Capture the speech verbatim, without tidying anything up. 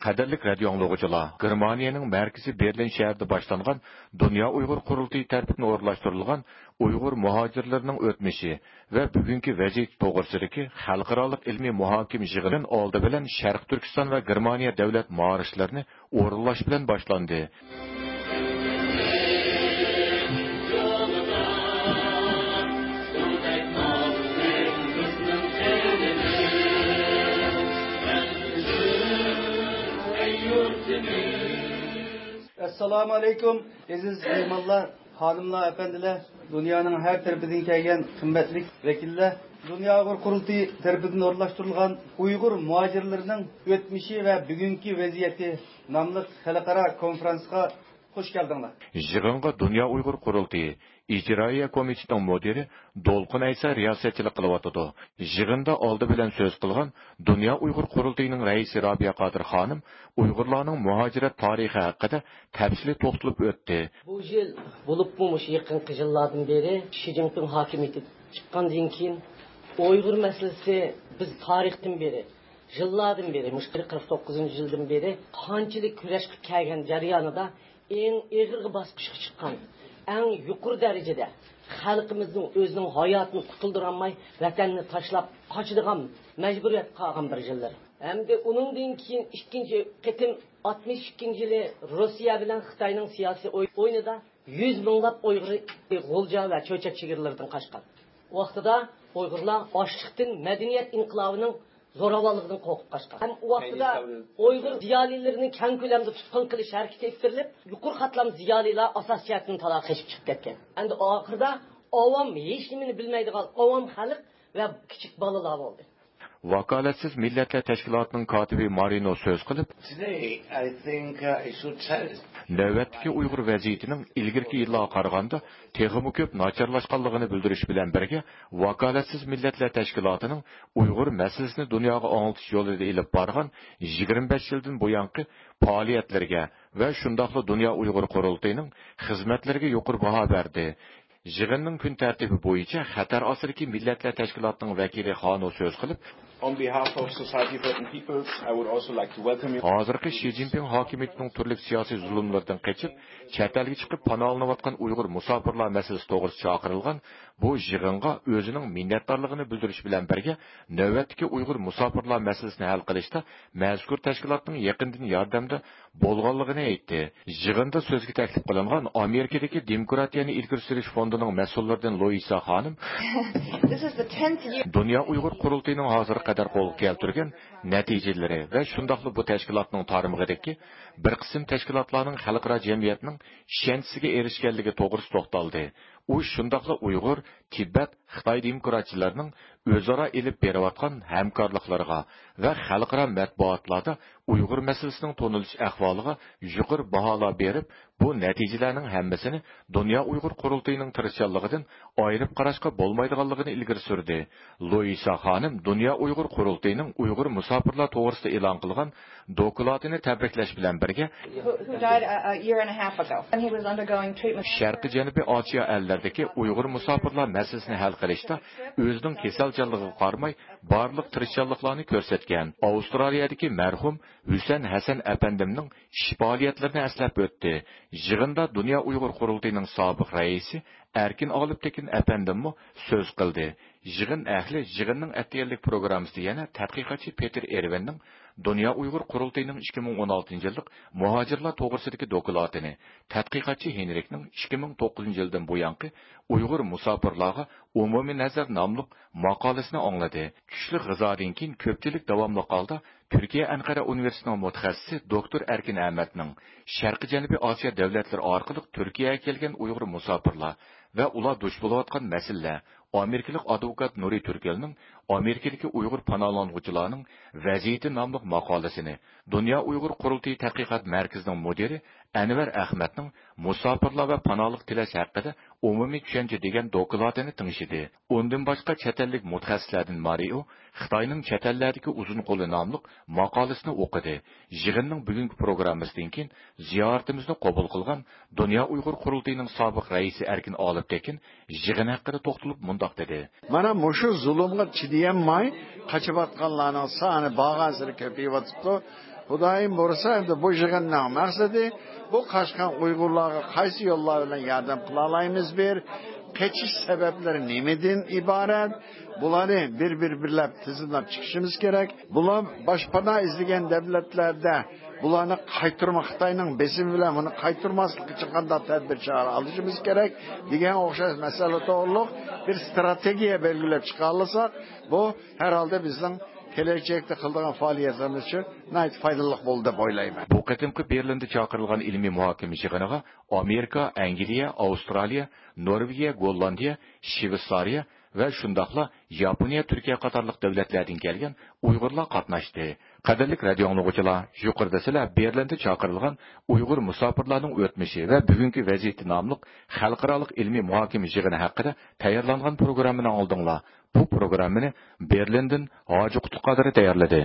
قەدىرلىك رادىيو ئاڭلىغۇچىلار، گېرمانىيەنىڭ مەركىزى بېرلىن شەھىرىدە باشلانغان دۇنيا ئۇيغۇر قۇرۇلتىيى تەرىپىدىن ئورۇنلاشتۇرۇلغان ئۇيغۇر مۇھاجىرلىرىنىڭ ئۆتمۈشى ۋە بۈگۈنكى ۋەزىيىتى توغرىسىدىكى خەلقئارالىق ئىلمىي مۇھاكىمە يىغىنى ئالدى بىلەن شەرقىي تۈركىستان ۋە گېرمانىيە دۆلەت مارشلىرىنى ئورۇنلاش بىلەن باشلاندى. ئەسسالامۇ ئەلەيكۇم، ئەزىز مېھمانلار، خانىملار، ئەپەندىلەر، دۇنيانىڭ ھەر تەرىپىدىن كەلگەن قىممەتلىك ۋەكىللەر. دۇنيا ئۇيغۇر قۇرۇلتىيى تەرىپىدىن ئورۇنلاشتۇرۇلغان ئۇيغۇر مۇھاجىرلىرىنىڭ ئۆتمۈشى ۋە بۈگۈنكى ۋەزىيىتى ناملىق خەلقئارا كونفرانسقا خۇش كەلدىڭلار. يىغىنغا دۇنيا ئۇيغۇر قۇرۇلتىيى ئىجرائىيە كومىتېتىنىڭ مۇدىرى دولقۇن ئەيسا رىياسەتچىلىك قىلىۋاتىدۇ. يىغىندا ئالدى بىلەن سۆز قىلغان دۇنيا ئۇيغۇر قۇرۇلتىيىنىڭ رەئىسى رابىيە قادىر خانىم ئۇيغۇرلارنىڭ مۇھاجىرەت تارىخى ھەققىدە تەپسىلىي توختىلىپ ئۆتتى. بۇ يىل، بولۇپمۇ مۇشۇ يېقىنقى يىللاردىن بېرى، شى جىنپىڭ ھاكىمىيىتى چىققاندىن كېيىن، ئۇيغۇر مەسىلىسى بىز تارىختىن بېرى، يىللاردىن بېرى، مۇشۇ قىرىق توققۇزىنچى يىلدىن بېرى قانچىلىك كۈرەش قىلىپ كەلگەن جەريانىدا، ئەڭ ئېغىر باسقۇچقا چىققان، ئەڭ يۇقىرى دەرىجىدە خەلقىمىزنىڭ ئۆزىنىڭ ھاياتىنى قۇتۇلدۇرالماي، ۋەتەننى تاشلاپ قاچىدىغان مەجبۇرىيەتكە قالغان بىر يىللىرى. ھەمدە ئۇنىڭدىن كېيىن ئىككىنچى قېتىم ئاتمىش ئىككىنچى يىلى روسىيە بىلەن خىتاينىڭ سىياسىي ئوي-، ئويۇنىدا يۈز مىڭلاپ ئۇيغۇر غۇلجا ۋە چۆچەك چېگرىلىرىدىن قاچقان. ۋاقتىدا ئۇيغۇرلار ئاشلىقتىن مەدەنىيەت ئىنقىلابىنىڭ زوراۋانلىقىدىن قورقۇپ قاچقان. ھەم ئۇ ۋاقتىدا ئۇيغۇر زىيالىيلىرىنى كەڭ كۆلەمدە تۇتقۇن قىلىش ھەرىكىتى ئېلىپ بېرىلىپ، يۇقىرى قاتلام زىيالىيلار ئاساسىي جەھەتتىن تالاغا قېچىپ چىقىپ كەتكەن. ئەمدى ئاخىرىدا ئاۋام، ھېچنېمىنى بىلمەيدىغان ئاۋام خەلق ۋە كىچىك بالىلار بولدى. ۋاكالەتسىز مىللەتلەر تەشكىلاتىنىڭ كاتىپى مارىنو سۆز قىلىپ، Today, I think, uh, I should tell نۆۋەتتىكى ئۇيغۇر ۋەزىيىتىنىڭ ئىلگىرىكى يىللارغا قارىغاندا تېخىمۇ كۆپ ناچارلاشقانلىقىنى بىلدۈرۈش بىلەن بىرگە، ۋاكالەتسىز مىللەتلەر تەشكىلاتىنىڭ ئۇيغۇر مەسىلىسىنى دۇنياغا ئاڭلىتىش يولىدا ئېلىپ بارغان يىگىرمە بەش يىلدىن بۇيانقى پائالىيەتلىرىگە ۋە شۇنداقلا دۇنيا ئۇيغۇر قۇرۇلتىيىنىڭ خىزمەتلىرىگە يۇقىرى باھا بەردى. يىغىننىڭ كۈن تەرتىپى بويىچە خەتەر ئاستىدىكى مىللەتلەر تەشكىلاتىنىڭ ۋەكىلى خانو سۆز قىلىپ، On behalf of Society for Certain Peoples, I would also like to welcome you. ھازىرقى شى جىنپىڭ ھاكىمىيىتىنىڭ تۈرلۈك سىياسىي زۇلۇملىرىدىن قېچىپ، چەت ئەلگە چىقىپ پاناھلىنىۋاتقان ئۇيغۇر مۇساپىرلار مەسىلىسى توغرىسىدا چاقىرىلغان بۇ يىغىنغا ئۆزىنىڭ مىننەتدارلىقىنى بىلدۈرۈش بىلەن بىرگە، نۆۋەتتىكى ئۇيغۇر مۇساپىرلار مەسىلىسىنى ھەل قىلىشتا مەزكۇر تەشكىلاتنىڭ يېقىندىن ياردەمدە بولغانلىقىنى ئېيتتى. يىغىندا سۆزگە تەكلىپ قىلىنغان ئامېرىكىدىكى دېموكراتىيەنى ئىلگىرى سۈرۈش فوندىنىڭ مەسئۇللىرىدىن لۇئىسا خانىم، This is the tenth year. دۇنيا ئۇيغۇر قۇرۇلتىيىنىڭ ھازىرغا قەدەر قولغا كەلتۈرگەن نەتىجىلىرى ۋە شۇنداقلا بۇ تەشكىلاتنىڭ تارمىقىدىكى بىر قىسىم تەشكىلاتلارنىڭ خەلقئارا جەمئىيەتنىڭ ئىشەنچىسىگە ئېرىشكەنلىكى توغرىسىدا توختالدى. ئۇ شۇنداقلا ئۇيغۇر، تىبەت، خىتاي دېموكراتچىلىرىنىڭ ئۆزئارا ئېلىپ بېرىۋاتقان ھەمكارلىقلىرىغا ۋە خەلقئارا مەتبۇئاتلاردا ئۇيغۇر مەسىلىسىنىڭ تونۇلۇش ئەھۋالىغا يۇقىرى باھالار بېرىپ، بۇ نەتىجىلەرنىڭ ھەممىسىنى دۇنيا ئۇيغۇر قۇرۇلتىيىنىڭ تىرىشچانلىقىدىن ئايرىپ قاراشقا بولمايدىغانلىقىنى ئىلگىرى سۈردى. لۇئىسا خانىم دۇنيا ئۇيغۇر قۇرۇلتىيىنىڭ ئۇيغۇر مۇساپىرلار توغرىسىدا ئېلان قىلغان دوكلاتىنى تەبرىكلەش بىلەن بىرگە، Who, who died a, a year and a half ago. And he was undergoing treatment. شەرقىي جەنۇبىي ئاسىيا ئەللىرىدىكى ئۇيغۇر مۇساپىرلار مەسىلىسىنى ھەل قىلىشتا ئۆزىنىڭ كېسەلچانلىقىغا قارىماي، بارلىق تىرىشچانلىقلارنى كۆرسەتكەن ئاۋسترالىيەدىكى مەرھۇم ھۈسەن ھەسەن ئەپەندىمنىڭ ئىش پائالىيەتلىرىنى ئەسلەپ ئۆتتى. يىغىندا دۇنيا ئۇيغۇر قۇرۇلتىيىنىڭ سابىق رەئىسى ئەركىن ئالىپتېكىن ئەپەندىممۇ سۆز قىلدى. يىغىن ئەھلى يىغىننىڭ ئەتىگەنلىك پروگراممىسىدا يەنە تەتقىقاتچى پېتېر ئېرۋىننىڭ دۇنيا ئۇيغۇر قۇرۇلتىيىنىڭ ئىككى مىڭ ئون ئالتىنچى يىللىق مۇھاجىرلار توغرىسىدىكى دوكلاتىنى، تەتقىقاتچى ھېنرىكنىڭ ئىككى مىڭ توققۇزىنچى يىلدىن بۇيانقى ئۇيغۇر مۇساپىرلارغا ئومۇمىي نەزەر ناملىق ماقالىسىنى ئاڭلىدى. چۈشلۈك غىزادىن كېيىن كۆپچىلىك داۋاملىق ھالدا تۈركىيە ئەنقەرە ئۇنىۋېرسىتېتىنىڭ مۇتەخەسسىسى دوكتور ئەركىن ئەمەتنىڭ شەرقىي جەنۇبىي ئاسىيا دۆلەتلىرى ئارقىلىق تۈركىيەگە كەلگەن ئۇيغۇر مۇساپىرلار ۋە ئۇلار دۇچ بولۇۋاتقان مەسىلىلەر، ئامېرىكىلىق ئادۋوكات نۇرى تۈركەلنىڭ ئامېرىكىدىكى ئۇيغۇر پاناھلانغۇچىلارنىڭ ۋەزىيىتى ناملىق ماقالىسىنى، دۇنيا ئۇيغۇر قۇرۇلتىيى تەتقىقات مەركىزىنىڭ مۇدىرى ئەنۋەر ئەخمەتنىڭ مۇساپىرلار ۋە پاناھلىق تىلەش ھەققىدە ئومۇمىي چۈشەنچە دېگەن دوكلاتىنى تىڭشىدى. ئۇندىن باشقا، چەت ئەللىك مۇتەخەسسىسلەردىن مارىئو خىتاينىڭ چەت ئەللەردىكى ئۇزۇن قولى ناملىق ماقالىسىنى ئوقۇدى. يىغىننىڭ بۈگۈنكى پروگراممىسىدىن كېيىن زىيارىتىمىزنى قوبۇل قىلغان دۇنيا ئۇيغۇر قۇرۇلتىيىنىڭ سابىق رەئىسى ئەركىن ئالىپتېكىن يىغىن ھەققىدە توختىلىپ مۇنداق دېدى. مانا مۇشۇ زۇلۇمغا چىدىيالماي قېچىۋاتقانلارنىڭ سانى بارغانسېرى كۆپىيىۋاتىپتۇ. خۇدايىم بۇيرۇسا، ئەمدى بۇ يىغىننىڭ مەقسىتى، بۇ قاچقان ئۇيغۇرلارغا قايسى يوللار بىلەن ياردەم قىلالايمىز؟ بىر، قېچىش سەۋەبلىرى نېمىدىن ئىبارەت؟ بۇلارنى بىر-بىر بىرلەپ تىزىملاپ چىقىشىمىز كېرەك. بۇلار باشپانا ئىزدىگەن دۆلەتلەردە بۇلارنى قايتۇرما، خىتاينىڭ بېسىمى بىلەن بۇنى قايتۇرماسلىق ئۈچۈن قانداق تەدبىر چارە ئېلىشىمىز كېرەك دېگەن ئوخشاش مەسىلە توغرۇلۇق بىر ستراتېگىيە بەلگىلەپ چىقالىساق، بۇ ھەر ھالدا بىزنىڭ كېلەچەكتە قىلىدىغان پائالىيەتلىرىمىز ئۈچۈن ناھايىتى پايدىلىق بولىدۇ دەپ ئويلايمەن. بۇ قېتىمقى بېرلىندا چاقىرىلغان ئىلمىي مۇھاكىمە يىغىنىغا ئامېرىكا، ئەنگلىيە، ئاۋسترالىيە، نورۋېگىيە، گوللاندىيە، شىۋېتسارىيە ۋە شۇنداقلا ياپونىيە، تۈركىيە قاتارلىق دۆلەتلەردىن كەلگەن ئۇيغۇرلار قاتناشتى. قەدىرلىك رادىئو ئاڭلىغۇچىلار، يۇقىرىدا سىلەر بېرلىندە چاقىرىلغان ئۇيغۇر مۇساپىرلارنىڭ ئۆتمۈشى ۋە بۈگۈنكى ۋەزىيىتى ناملىق خەلقئارالىق ئىلمىي مۇھاكىمە يىغىنى ھەققىدە تەييارلانغان پروگراممىنى ئاڭلىدىڭلار. بۇ پروگراممىنى بېرلىندىن ھاجى قۇتلۇق قادىرى تەييارلىدى.